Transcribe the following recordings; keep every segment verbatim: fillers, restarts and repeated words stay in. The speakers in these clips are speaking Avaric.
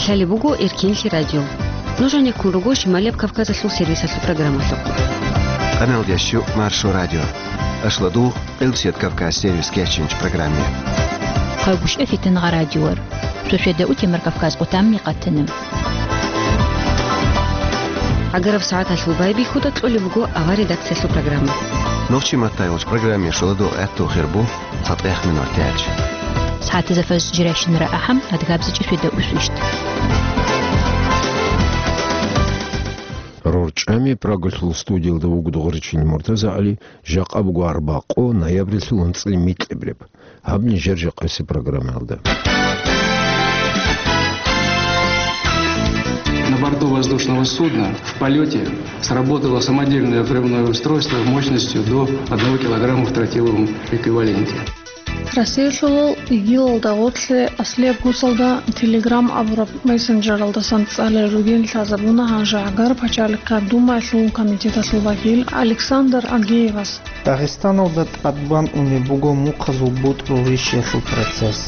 Цали буго Эркинлъи радио. Нуж гӀенеккун руго Шималияб Кавказалъул сервисалъул программалъухъ. Къаналдящу Маршо радио. Ашладу Къилбсият Кавказ сервис кечинч программе. Хъагушев Фитингъа радиор. Шошеда утемар Кавказ къутамни къатана. Агараб сагӀаталъул байбихьуда кьолеб буго авар редакциялъул программа. Нохчи маттайолч программе шоладу гӀатту хирбу. ЦатӀехъ минут тяч. СагӀатизафаз жирайщинара ахӀам, адгабзичӀи шведа усвищ. РорчӀами Прагалъул студиялда вуго Дугъричил МуртазагӀали, жакъа буго арбакъо, ноябрилъул анцӀил микьабреб. Гьаб нижер жакъаси программаялда. На борту воздушного судна в полете сработало самодельное взрывное устройство мощностью до одного килограмма в тротиловом эквиваленте. Россиялъулал ИГИЛалда гъорлъе аслияб гьусалда Telegram абураб мессенджералдасан цӀалел ругин лъазабуна гьанже гӀагар пачалихъа Думаялъул комитеталъул вакил Александр Агеевас. Дагъистаналда тӀадбан унеб буго мухъазул бутӀрул рищиялъул процесс.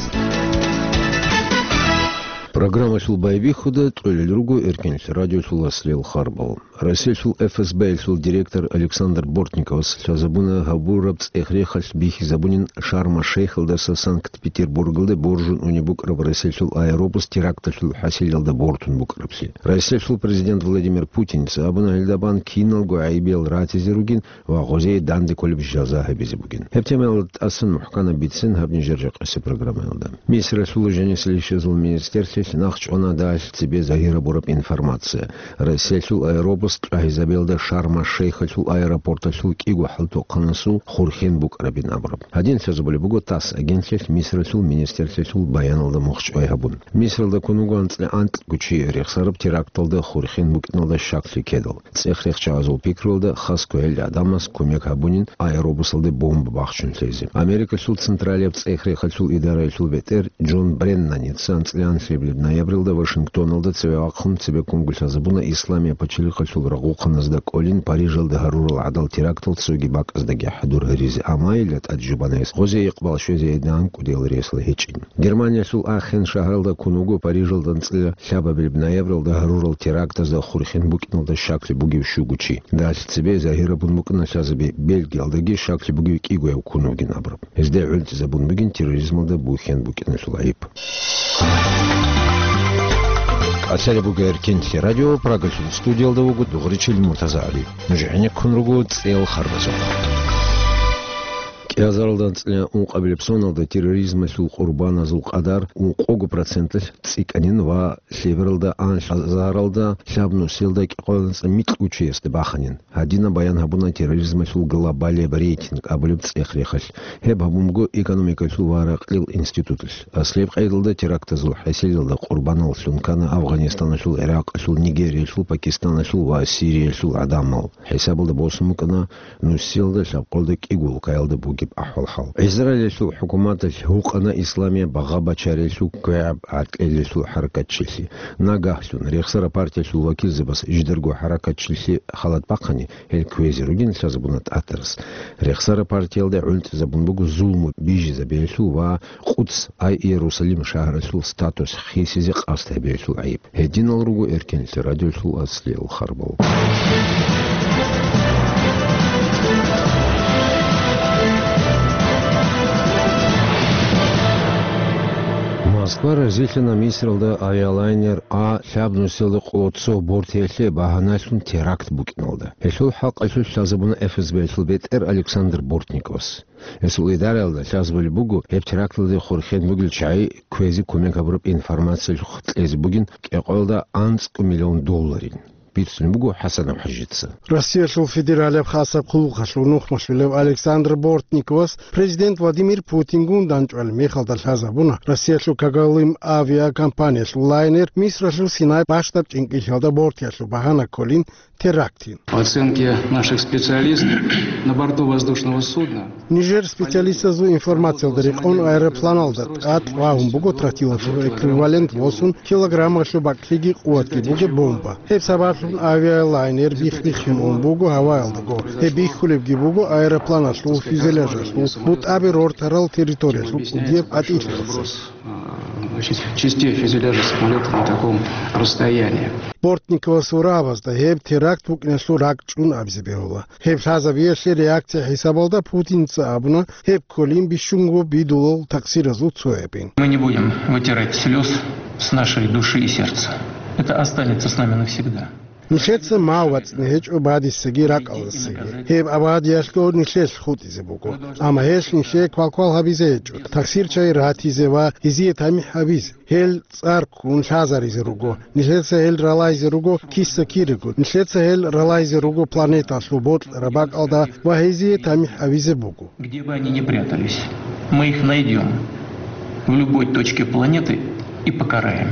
Программалъул байбихьуда кьолел руго Эркинлъи радиолъул аслияб харбал. Россиялъул ФСБ-ялъул директор Александр Бортниковас лъазабуна гьабураб цӀех-рехалъ бихьизабунин Шарм-аш-Шейхалдаса Санкт-Петербургалде боржун унеб букӀараб Россиялъул аэробус теракталъул хӀасилалда бортун букӀараблъи. Россиялъул президент Владимир Путинца абуна гьелда бан киналго гӀайибиял ратизе ругин ва гъозие данде кколеб жаза гьабизе бугин. Гьеб темаялда тӀасан мухӀканаб бицин гьаб нижер жакъаси программаялда. Мисралъул жанисел ишазул министрлъилъ нахъ чӀвана дагьалъ цебе загьир гьабураб информация. Россиялъул аэробус чӀвагьизабиялда Шарм-аш-Шейхалъул аэропорталъул кӀиго хӀалтӀухъанасул хурхен букӀарабин абураб. Гьадин лъазабулеб буго ТАСС агентлъилъ Мисралъул министрлъилъул баяналда мухчӀвай гьабун. Мисралда ккун вуго анцӀила анкьго чи рехсараб теракталда хурхен букӀиналда щаклъи ккедал. ЦӀех-рехчагӀазул пикруялда хас кквеял гӀадамас кумек гьабунин аэробусалде бомба бахчун лъезе. Америкалъул Централияб цӀех-рехалъул идараялъул бетӀер Джон Бреннаница анцӀила анлъабилеб ноябралда Вашингтоналда цеве вахъун цебеккунго лъазабуна Исламияб пачалихъалъул рагъухъаназда кӀолин Парижалда гьарурал гӀадал терактал цоги бакӀаздаги хӀадур гьаризе, амма гьелда тӀад жубанайс гъозе икъбал щвезе гьедин анкӀудиял ресла гьечӀин. Германиялъул Ахен шагьаралда ккун вуго Парижалда анцӀила лъабабилеб ноябралда гьарурал терактазда хурхен букӀиналда щаклъи бугев щуго чи. Дагьалъ цебе загьир гьабун букӀана лъазаби Бельгиялдаги щаклъи бугев кӀигояв ккун вугин абураб. Гьезда гӀунтӀизабун бугин терроризмалда бухьен букӀиналъул гӀайиб. Къасалеб буго Эркинлъи радио, Прагалъул студиялда вуго Дугъричил МуртазагӀали. Нуж гӀенеккун руго цӀел харбазухъ. КӀиазаралда анцӀила ункъабилеб соналда терроризмалъул къурбаназул къадар ункъого проценталъ цӀикӀкӀанин ва лъебералда анлъазаралда лъабнусиялда кӀикъоялда анцӀила микьго чиясда баханин. Гьадинаб баян гьабуна терроризмалъул глобалияб рейтинг абулеб цӀех-рехалъ. Гьеб гьабун буго экономикалъул ва ракьил институталъ. Аслияб къайдалда терактазул хӀасилалда къурбаналлъун ккана Афганистаналъул, ГӀиракъалъул, Нигериялъул, Пакистаналъул ва Сириялъул гӀадамал. ХӀисабалда босун букӀана нусиялда лъабкъоялда кӀиго улкаялда бугеб ахӀвал-хӀал. Израилалъул хӀукуматалъ гьукъана Исламияб багъа бачариялъул квегӀаб гӀатӀлъиялъул хӀаракатчилъи. Нагагьлъун рехсараб партиялъул вакилзабаз жидарго хӀаракатчилъи халат бахъани, гьел кквезе ругин лъазабуна тӀатарас. Рехсараб партиялда гӀунтӀизабун буго зулму бижизабиялъул ва Къудс, ай Иерусалим шагьаралъул статус хисизе къасд гьабиялъул гӀайиб. Гьединал руго Эркинлъи радиолъул аслиял харбал. Москва разилъана Мисралда авиалайнер А лъабнусиялда къоло цо бортиялъе багьаналъун теракт букӀиналда. Гьелъул хӀакъалъулъ лъазабуна ФСБ-ялъул бетӀер Александр Бортниковас. Гьесул идараялда лъазабулеб буго, гьеб теракталде хурхен бугел чагӀи кквезе кумек гьабураб информациялъухъ кьезе бугин кӀикъоялда анцӀго миллион долларин. Бицунеб буго ХӀасан ХӀажица. Россиялъул федералияб хасаб хъулухъалъул нухмалъулев Александр Бортниковас президент Владимир Путингун дандчӀвалеб мехалда лъазабуна Россиялъул Когалым авиакомпаниялъул лайнер Мисралъул Синай бащдаб чӀинкӀиллъиялда бортиялъул багьана кколин терактин. По оценке наших специалистов, на борту воздушного судна Нижер специалистазул информациялда рекъон аэропланалда тӀад вагьун буго тротиловый эквивалент восун килограммалъул бакӀлъиги къуватги бугеб бомба. Гьеб сабаблъун авиалайнер бих-бихьун ун буго гьаваялдаго. Гьеб бихьулебги буго аэропланалъул фюзеляжалъул бутӀаби рортарал территориялъул кӀудияб гӀатӀилъиялдаса. Частей фюзеляжа самолета на таком расстоянии. Бортниковас ва рагьабазда гьеб теракт букӀиналъул ракӀчӀун абизе бегьула. Гьеб лъазабиялъе реакция хӀисабалда Путинца абуна гьеб кколин бищунго бидулал такъсиразул цоябин. Мы не будем вытирать слез с нашей души и сердца. Это останется с нами навсегда. Нилъеца мав вацӀцӀи гьечӀо бадисаги ракӀалдасаги. Гьеб абадиялъго нилъелъ хутӀизе буго. Амма гьелъ нилъее квалквал гьабизе гьечӀо, такъсирчагӀи ратизе ва гьезие тамихӀ гьабизе. Гьел цӀар ккун лъазаризе руго. Нилъеца гьел ралайзе руго киса-кирего. Нилъеца гьел ралайзе руго планеталъул бокьараб бакӀалда ва гьезие тамихӀ гьабизе буго. Где бы они ни прятались, мы их найдём в любой точке планеты и покараем.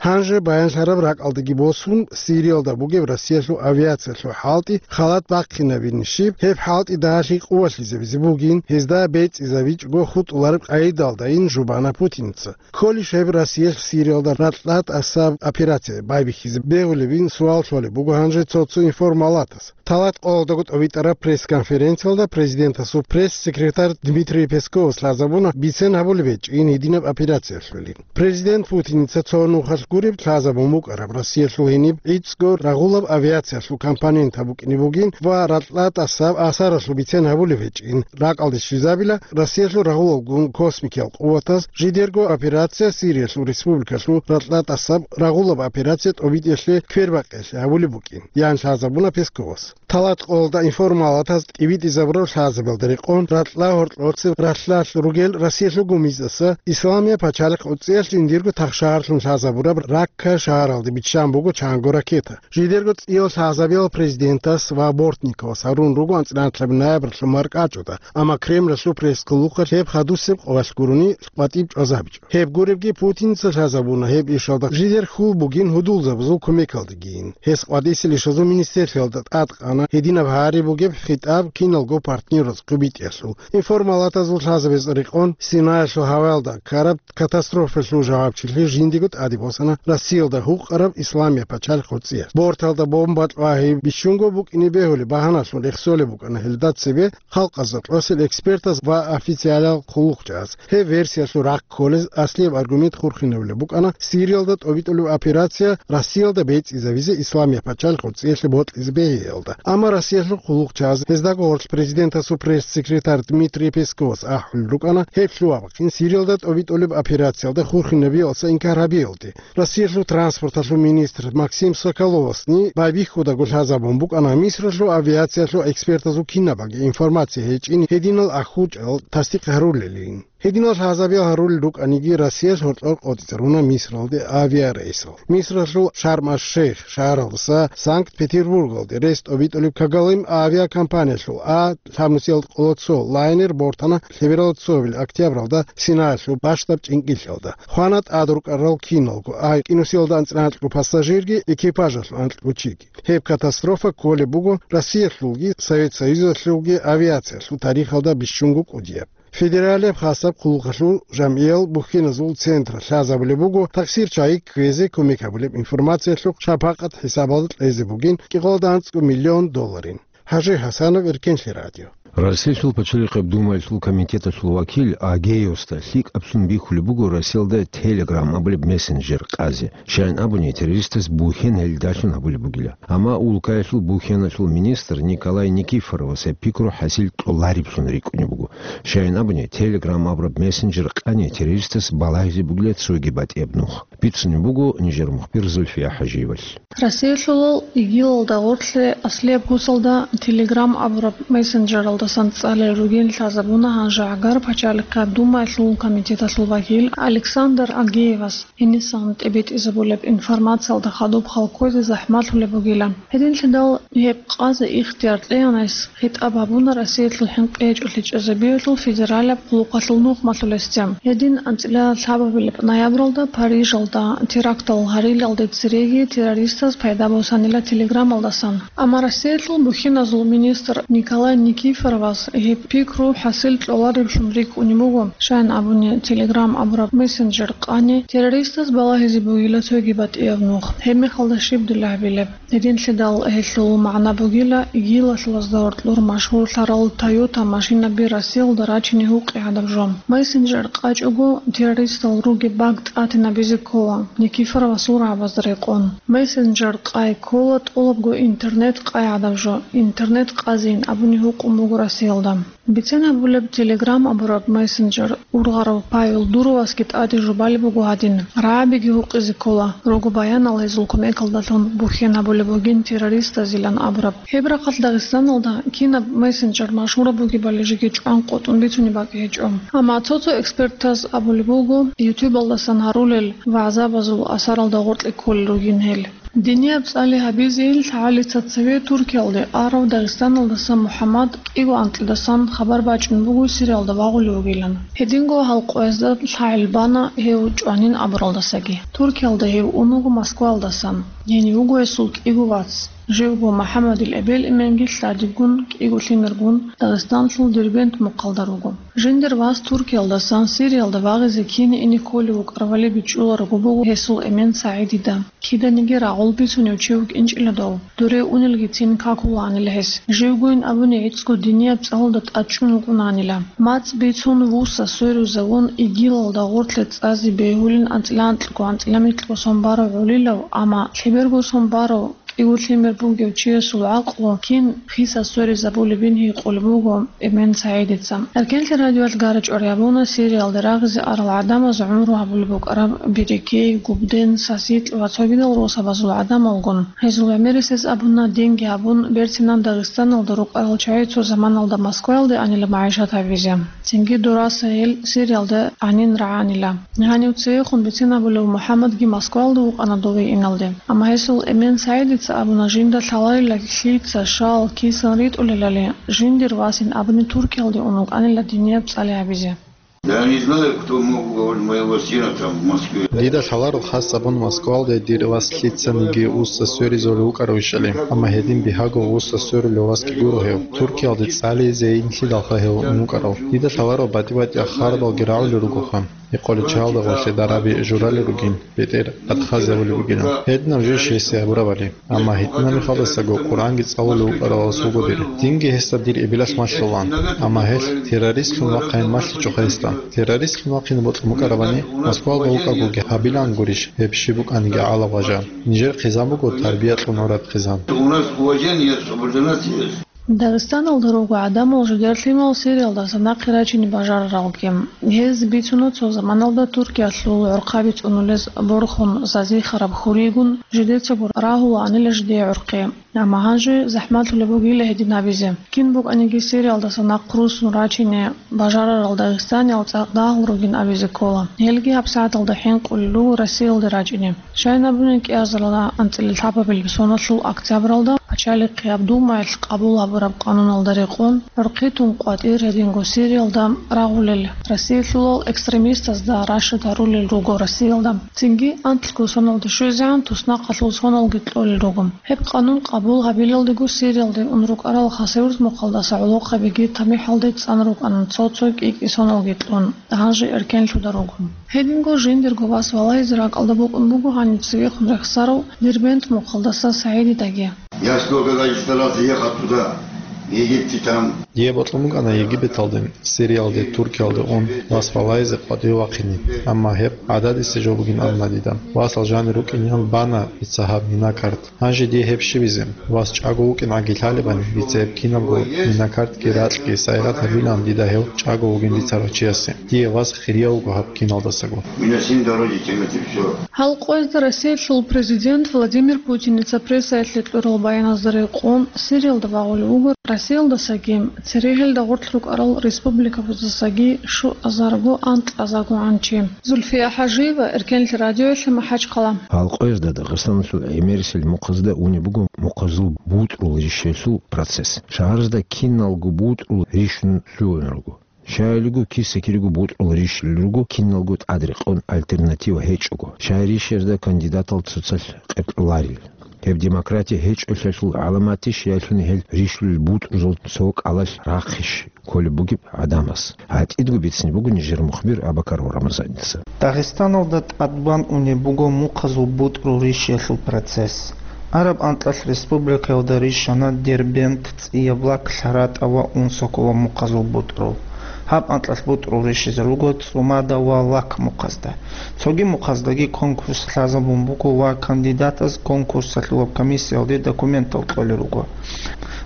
Гьанже баянлъараб ракӀалдаги босун, Сириялда бугеб Россиялъул авиациялъул хӀалтӀи халат бахъинабин щиб, гьеб хӀалтӀи дагьалъи къувалъизабизе бугин, гьезда бецӀизабичӀого хутӀулареб къайдалдайин жубана Путинца. Кколищ гьеб Россиялъ Сириялда ракьа тӀасаб операция байбихьизе бегьулебин суал лъолеб буго гьанже цо-цо информалатас. Талат къоялдаго тӀобитӀараб пресс-конференциялда президентасул пресс-секретарь Дмитрий Песковас лъазабуна бицен гьабулеб гьечӀин гьединаб операциялъулин. Президент Путиница цо нухалъ гуреб лъазабун букӀараб Россиялъул гьениб гӀицӀго рагъулаб авиациялъул компонентаб букӀине бугин ва ракьа тӀасаб асаралъул бицен гьабулеб гьечӀин. Ракьалде щвезабила Россиялъул рагъулалгун космикиял къуватаз жидерго операция Сириялъул республикалъул ракьа тӀасаб рагъулаб операция тӀобитӀиялъе квербакъиялъе гьабулеб букӀин, ян лъазабуна Песковас. Талат къоялда информалатаз тӀибитӀизабураб лъазабиялда рекъон ракьа гьоркьоцеб ралъдалъ ругел Россиялъул гумиздаса Исламияб пачалихъ гӀуцӀиялъ жиндирго тахшагьарлъун лъазабураб Ракка шагьаралде биччан буго чанго ракета. Жидерго цӀиял лъазабиял президентас ва Бортниковас гьарун руго анцӀила ноябрьалъул маркӀачӀуда, амма Кремлалъул пресс-хъулухъалъ гьеб хадусеб къоялъ гурони къватӀиб чӀвазабичӀо. Гьеб гуребги Путинца лъазабуна гьеб ишалда жидер хьул бугин гьудулзабазул кумекалдегийин. Гьес къватӀисел ишазул министрлъиялда тӀадкъана гьединаб гьари бугеб хитӀаб киналго партнераз хъубитӀиялъул. Информалатазул лъазабиялда рекъон Синаялъул гьаваялда ккараб катастрофаялъул жавабчилъи жиндиего тӀаде босана Россиялда гьукъараб Исламияб пачалихъ гӀуцӀиялъ. Борталда бомба кьвагьи бищунго букӀине бегьулеб багьаналъун рехсолеб букӀана гьелда цебе халкъазда кьосел экспертаз ва официалал хъулухъчагӀаз. Гьеб версиялъул рахъ кколез аслияб аргумент хурхинабулеб букӀана Сириялда тӀобитӀулеб операция Россиялда бецӀизабизе Исламияб пачалихъ гӀуцӀиялъе бокьизе бегьиялда. Амма Россиялъул хъулухъчагӀаз, гьездаго гъорлъ президентасул пресс-секретарь Дмитрий Песковас ахӀулел рукӀана гьеб лъугьа-бахъин Сириялда тӀобитӀулеб операциялда хурхинабиялдаса инкар гьабиялде. Россиялъул транспорталъул министр Максим Соколовасни байбихьудаго лъазабун букӀана Мисралъул авиациялъул экспертазул кинабаги информация гьечӀин гьединал ахӀучӀал тасдикъ гьарулелин. Гьединал лъазабиял гьарулел рукӀаниги, Россиялъ гьоркьор къотӀизаруна Мисралде авиарейсал. Мисралъул Шарм-аш-Шейх шагьаралдаса Санкт-Петербургалде рес тӀобитӀулеб Когалым авиакомпаниялъул А лъабнусиялда къолоцо лайнер бортана лъебералда цоабил октябралда Синаялъул бащдаб чӀинкӀиллъиялда. Хвана тӀад рукӀарал киналго, А кӀинусиялда анцӀила анкьго пассажирги, экипажалъул анкьго чиги. Гьеб катастрофа кколеб буго Россиялъулги Совет Союзалъулги авиациялъул тарихалда бищунго кӀудияб. Федералияб хасаб хъулухъалъул жамгӀиял бухьеназул центр лъазабулеб буго такъсирчагӀи кквезе кумек гьабулеб информациялъухъ шапакъат хӀисабалда кьезе бугин кӀикъоялда анцӀго миллион долларин. ХӀажи ХӀасанов, Эркенлъи радио. Россиялъул пачалихъаб Думаялъул комитеталъул вакил Агеевасда лъикӀаблъун бихьулеб буго Россиялда Telegram абулеб мессенджер къазе. Щайин абуни, террористаз бухьен гьелдалъун гьабулеб бугила. Амма улкаялъул бухьеналъул министр Николай Никифоровас гьеб пикру хӀасил кьолареблъун рикӀкӀунеб буго. Щайин абуни, Telegram абураб мессенджер къани террористас балагьизе бугила цоги батӀияб нух. Бицунеб буго нижер мухбир Зульфия ХӀажиевалъ. Россиялъулал ИГИЛалда гъорлъе аслияб куцалда Telegram абураб мессенджералдасан цӀалел ругин лъазабуна гьанжегӀагар пачалихъа Думаялъул комитеталъул вакил Александр Агеевас. Гьенисан тӀибитӀизабулеб информациялда хадуб халкъозе захӀмалъулеб бугилан. Гьединлъидал гьеб къазе ихтияр кьеянайс хитӀаб гьабуна Россиялъул хӀинкъи гьечӀолъи чӀезабиялъул федералияб хъулухъалъул нухмалъулесде. Гьедин анцӀила лъабабилеб ноябралда Парижалда терактал гьарилалде цереги террористаз пайда босанила Телеграмалдасан. Амма Россиялъул бухьиназул министр Николай Никифоров вас гьеб пикру хӀасил кьолареблъун рикӀкӀунеб буго, щайин абуни, Telegram абураб мессенджер къани террористаз балагьизе бугила цоги батӀияб нух. Гьеб мехалда щиб дила гьабилеб? Гьединлъидал гьелъул магӀна бугила, ИГИЛалъул гьезда гьоркьор машгьурлъарал Toyota машинаби Россиялда рачине гьукъи гӀадаб жо. Мессенджер къачӀого, террористал ругеб баг тӀатинабизе ккола, Никифоровасул рагӀабазда рекъон. Мессенджер къай ккола тӀолабго интернет къай гӀадаб жо, интернет къазейин абуни гьукъун буго Россиялда. Бицен гьабулеб, Telegram абураб мессенджер ургъарав Павел Дуровасги тӀаде жубалеб буго гьадин, рагӀабиги гьукъизе ккола, руго баянал гьезул кумекалдалъун бухьен гьабулеб бугин террористазилан абураб. Гьеб рахъалъ Дагъистаналда кинаб мессенджер машгьураб бугебали жеги чӀван къотӀун бицунеб бакӀ гьечӀо. Амма цо-цо экспертаз абулеб буго, ютубалдасан гьарулел вагӀзабазул асаралда гъоркье кколел ругин гьел. Динияб цӀали гьабизейин лъагӀалица цеве Туркиялде арав Дагъистаналдаса МухӀаммад кӀиго анкьидасан хабар бачӀун буго Сириялда вагъулев вугилан. Гьединго гьал къоязда лъагӀел бана гьев чӀванин абуралдасаги. Туркиялда гьев ун вуго Москваялдасан. Гьенив вуго гьесул кӀиго вац. Живго МухӀаммадил эбел-эменги лъадибгун кӀиго лъимергун Дагъистанлъул Дербент мухъалда руго. Жиндир вас Туркиялдасан Сириялда вагъизе кине ине кколев вукӀарвали бичӀчӀуларого буго гьесул эмен СагӀидида. Киданиги рагъул бицунев чи вукӀинчӀила дов, дуре унелгицин какулаанила гьес. Живгойин абуни гӀицӀго динияб цӀалалда тӀадчӀун вукӀунаанила. МацӀ бицун вуса сверизавун, ИГИЛалда гъорлъе цӀазе бегьулин анцӀила анкьго, анцӀила микьго сон барав гӀолилав, амма лъеберго сон барав кӀиго лъимер бугев чиясул гӀакълу кин хиса сверизабулебин гьикъулеб буго эмен СагӀидица. Эркенлъи радиоялъ гара-чӀвари гьабуна Сириялде рагъизе арал гӀадамаз гӀумру гьабулеб букӀараб Берекей, Губден, Сасикь ва цогидал росабазул гӀадамалгун. Гьезул гӀемерисез абуна, динги гьабун, берцинан Дагъистаналда рукӀарал чагӀи цо заманалда Москваялде анила магӀишат гьабизе. Цинги дураса гьел Сириялда гьанин рагӀанила. Гьанив цевехун бицен абулев МухӀаммадги Москваялда вукӀана дове иналде. Амма гьесул эмен СагӀидица абуна, жинда лъаларила лъица, щал, кисан ритӀулелали, жиндир васин абуни Туркиялде ун вукӀанила динияб цӀали гьабизе. Я не знаю, кто мог уговорить моего сына там в Москве. Дида лъаларо хас абун Москвалде дир вас лъицаниги вуса сверизулев вукӀаравищали, амма гьедин бигьаго вуса сверулев васги гуро гьев. Туркиялде цӀализе инлъидалха гьев ун вукӀарав. Дида лъаларо батӀи-батӀияб хабаралги рагӀулел ругоха. Гьекъолел чагӀалда гъорлъе дараби журалел ругин, бетӀер батӀхазабулеб бугилан. Гьединаб жо щайсе гьабурабали. Амма гьитӀинаб мехалдасаго Къуръанги цӀалулев вукӀарав вас вуго дир. Динги гьесда дир эбелалъ малъулаан. Амма гьелъ террористлъун вахъайин малъичӀоха гьесда. Террористлъун вахъине бокьун букӀарабани, Москвалда вукӀаргоги гьабилаан гурищ, гьеб щиб букӀаниги гӀалаб гъажа. Нижер хъизан буго тарбия кьун гӀураб хъизан. У нас уважение, чтобы для нас есть. Дагъистаналда руго гӀадамал жидер лъимал Сириялдаса нахъе рачине бажараралги. Гьез бицуна цо заманалда Туркиялъул гӀорхъаби цӀунулез борхун зазихараб хуригун жидецаго рагьулаанила жидее гӀорхъи. Амма гьанже захӀмалъулеб бугила гьедин абизе. Кин букӀаниги Сириялдаса нахъ руссун рачине бажарарал дагъистаниял цӀакъ дагьал ругин абизе ккола. Гьелги гьабсагӀаталда хӀинкъулел руго Россиялде рачӀине. Щайин абуни, кӀиазарилан анцӀила лъабабилеб соналъул октябралда Пачалихъияб Думаялъ къабул гьабураб къануналда рекъон, гӀорхъи тун къватӀир гьединго Сириялда рагъулел Россиялъулал экстремистазда рашад гьарулел руго Россиялда. Цинги анлъго соналда щвезегӀан туснахъалъул соналги кьолел руго. Гьеб къанун къабул гьабилалдего Сириялде ун рукӀарал Хасавюрт мухъалдаса гӀолохъабиги тамихӀалде цӀан рукӀана цо-цо кӀи-кӀи соналги кьун, гьанже эркенлъуда руго. Гьединго жиндирго вас валагьизе ракӀалда букӀун буго гьанив цевехун рехсарав Дербент мухъалдаса СагӀидидаги. Я сколько, значит, старался ехать туда, в Египте там. Дие бокьун букӀана Египеталде, Сириялде, Туркиялде ун вас валагьизе къватӀиве вахъине, амма гьеб гӀададиса жо бугин абуна дида. Васал жанир рукӀинеян бана дица гьаб минакарт. Гьанже дие гьеб щибизе? Вас чӀаго вукӀин гӀаги лъалебани, дица гьеб кинабго минакартги ракьги сайигъат гьабилаан дида гьев чӀаго вугин бицарав чиясе. Дие вас хирияв вуго гьаб киналдасаго. Минасин дороги темати всё. Гьал къоязда Россиялъул президент Владимир Путиница прессаялъе кьурал баяназда рекъон, Сириялда вагъулев вуго Россиялдасаги, церегьелда гъорлъ рукӀарал республикабаздасаги щуазарго анкьазаргогӀан чи. Зульфия ХӀажиева, Эркенлъи радиоялъе, МахӀачхъала. Гьал къоязда Дагъистаналъул гӀемерисел мухъазда унеб буго мухъазул бутӀрул рищалъул процесс. Шагьаразда киналго бутӀрул рищун лъугьун руго. Щайилго киса-кириго бутӀрул рищалил руго, киналго тӀадрекъон альтернатива гьечӀого. Щай рищаразда кандидатал цоцалъ къеркьуларел. Гьеб демократия гьечӀолъиялъул гӀаламатищ, яги гьел рищулел бутӀрузул цо кӀалалъ рахъищ кколеб бугеб гӀадамаз? ГьатӀидго бицине буго нижер мухбир Абакаров Рамазаница. Дагъистаналда тӀадбан унеб буго мухъазул бутӀрул рищиялъул процесс. Араб анкьалъ республикаялда рищана Дербент, ЦӀияб Лак, ЛъаратӀа ва Унсокола мухъазул бутӀрул. Гьаб анкьалъ бутӀрул рищизе руго ЦӀумада ва Лак мухъазда. Цоги мухъаздаги конкурс лъазабун буго ва кандидатаз конкурсалъулаб комиссиялде документал кьолел руго.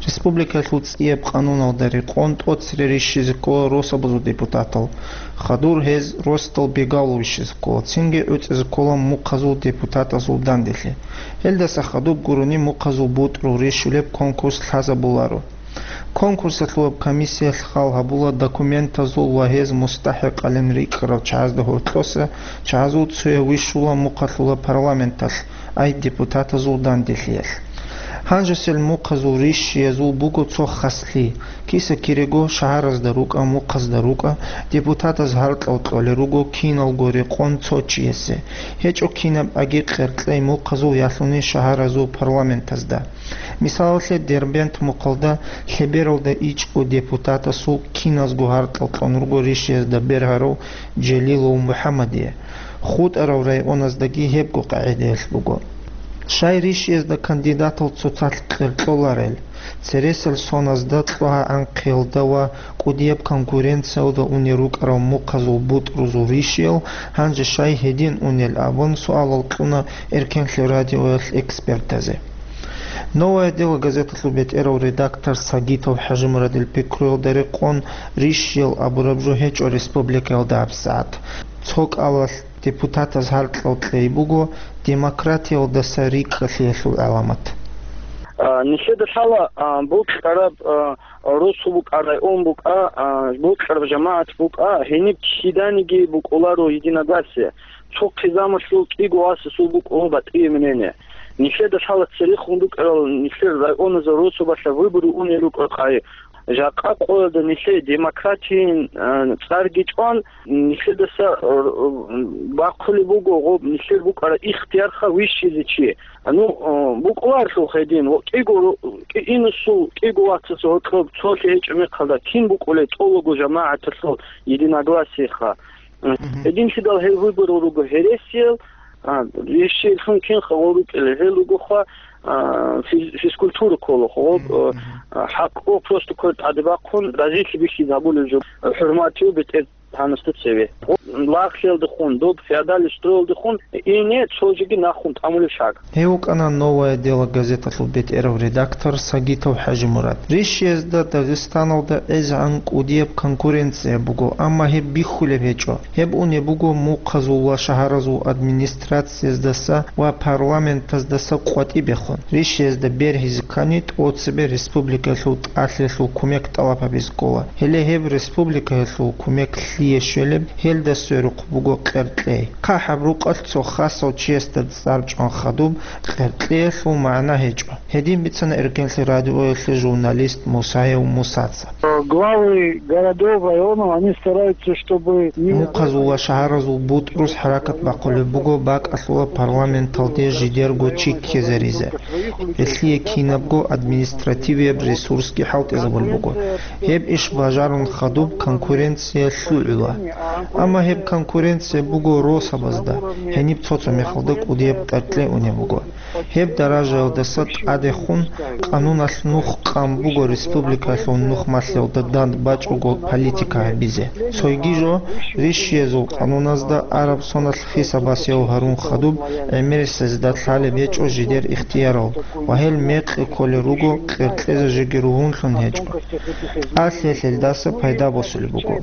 Республикалъул ЦӀияб къануналда рекъон тӀоцере рищизе ккола росабазул депутатал. Хадур гьез росдал бегавлу вищизе ккола, цинги гӀуцӀизе ккола мухъазул депутатазул данделъи. Гьелдаса хадуб гурони мухъазул бутӀрул рищулеб конкурс лъазабуларо. Конкурсалъулаб комиссиялъ хал гьабула документазул ва гьез мустахӀикъалин рикӀкӀарал чагӀазда гьоркьоса чагӀазул цояв вищула мухъалъула парламенталъ, ай депутатазул данделъиялъ. Гьанжесел мухъазул рищиязул буго цо хаслъи: киса-кирего шагьаразда рукӀа, мухъазда рукӀа, депутатаз гьаркьал кьолел руго киналго рекъон цо чиясе, гьечӀо кинаб аги къеркьей мухъазул ялъуни шагьаразул парламентазда. Мисалалъе, Дербент мухъалда лъебералда ичӀго депутатасул киназго гьаркьал кьун руго рищиязда бергьарав Желилов МухӀаммадие. ХутӀарал районаздаги гьебго къагӀидаялъ буго. Щай рищиязда кандидатал цоцалъ къеркьоларел? Цересел соназда, кьогьа-гӀанхъиялда ва кӀудияб конкуренциялда унел рукӀарал мухъазул бутӀрузул рищиял гьанже щай гьедин унел абун суалал кьуна Эркенлъи радиоялъ экспертазе. «Новое дело» газеталъул бетӀерав редактор Сагитов ХӀажимурадил пикруялда рекъон, рищиял абураб жо гьечӀо республикаялда гьабсагӀат. Цо кӀалалъ депутатаз гьаркьал кьей буго демократиялдаса рикӀкӀалъиялъул гӀаламат. А, нилъеда лъала, а, бокьараб, а, росу букӀа, район букӀа, а, бокьараб жамагӀат букӀа, гьениб киданиги букӀуларо единогласие. Цо хъизамалъул кӀиго васасул букӀун батӀияб мнение. Нилъеда лъала церехун рукӀарал нилъер районазул росубалъа выбору унел рукӀа къай. Жакъа къоялда нилъее демократиин, а, цӀарги чӀван, нилъедаса, а, бахъулеб буго гъоб нилъер букӀараб ихтиярха вищизе чи. Ну, а, букӀуларлъухъ гьедин, ва кӀиго ру-, кӀи-, инусул кӀиго вацасул гьоркьоб цолъи гьечӀеб мехалда кин букӀулей тӀолого жамагӀаталъул единогласиеха. Мгм. Гьединлъидал гьел выборал руго гьересиял, а, ищеялъун кинха гъол рукӀелел, гьел ругоха, а, физ-, физкультура ккола, гъоб, Мгм, а, мгм. а, хӀакъго просто квер тӀаде бахъун, разилъи бихьизе гьабулеб жо, хӀурматияв бетӀергьанасда цеве. Гъоб лагълъиялдехун, доб феодальный строялдехун ине цо жеги нахун тӀамулеб шаг. Гьев вукӀана «Новое дело» газеталъул бетӀерав редактор Сагитов ХӀажимурад. Рищиязда Дагъистаналда гӀезегӀан кӀудияб конкуренция буго, амма гьеб бихьулеб гьечӀо. Гьеб унеб буго мухъазул ва шагьаразул администрацияздаса ва парламентаздаса къватӀибехун. Рищиязда бергьизе ккани, тӀоцебе республикалъул тӀалъиялъул кумек тӀалаб гьабизе ккола. Гьеле гьеб республикаялъул кумек лъие щвелеб, гьелда сверухъ буго къеркьей. ХъахӀаб рукъалъ цо хасав чиясда цӀар чӀван хадуб, къеркьеялъул магӀна гьечӀо. Гьедин бицана Эркенлъи радиоялъе журналист Мусаев Мусаца. Главы городов, районов, они стараются, чтобы не Мухъазул ва шагьаразул бутӀрус хӀаракат бахъулеб буго бакӀалъула парламенталде жидерго чи ккезаризе. Гьелъие кинабго административияб ресурсги хӀалтӀизабулеб буго. Гьеб иш бажарун хадуб конкуренция лъугӀула. Амма гьеб конкуренция буго росабазда, гьениб цо-цо мехалда кӀудияб къеркьей унеб буго. Гьеб даражаялдаса тӀадехун къануналъ нух къан буго республикалъул нухмалъиялда данд бачӀого политика гьабизе. Цойги жо, рищиязул къануназда араб соналъ хисабасияв гьарун хадуб, гӀемерисезда лъалеб гьечӀо жидер ихтиярал ва гьел мекъи кколел руго, къеркьезе жеги ругьунлъун гьечӀо. ТӀалъиялъелдаса пайда босулеб буго.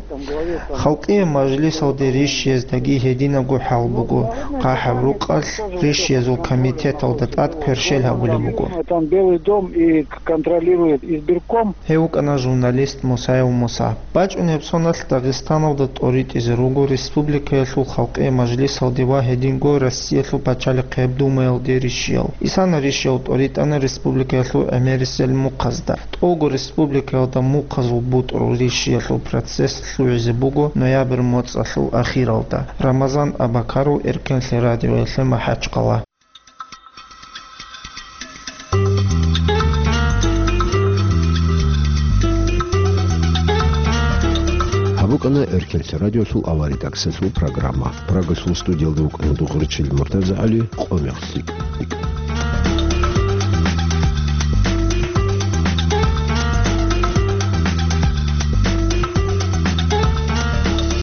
Халкъияб мажлисалде рищияздаги гьединабго хӀал буго, хъахӀаб рукъалъ рищиязул комитеталда тӀад кверщел гьабулеб буго. Там Белый дом и контролирует избирком. Гьев вукӀана журналист Мусаев Муса. БачӀунеб соналъ Дагъистаналда тӀоритӀизе руго республикаялъул халкъияб мажлисалде ва гьединго Россиялъул пачалихъияб Думаялде рищиял. Исана рищиял тӀоритӀана республикаялъул гӀемерисел мухъазда. ТӀолго республикаялда мухъазул бутӀрул рищиялъул процесс лъугӀизе буго ноябрь моцӀалъул ахиралда. Рамазан Абакаров, Эркенлъи радиоялъе, МахӀачхъала. Ана Эркенлъи радиолъул аваридаксалъул программа. Прагалъул студиялда вукӀана дугъричил МуртазагӀали, къо-мех лъикӀ.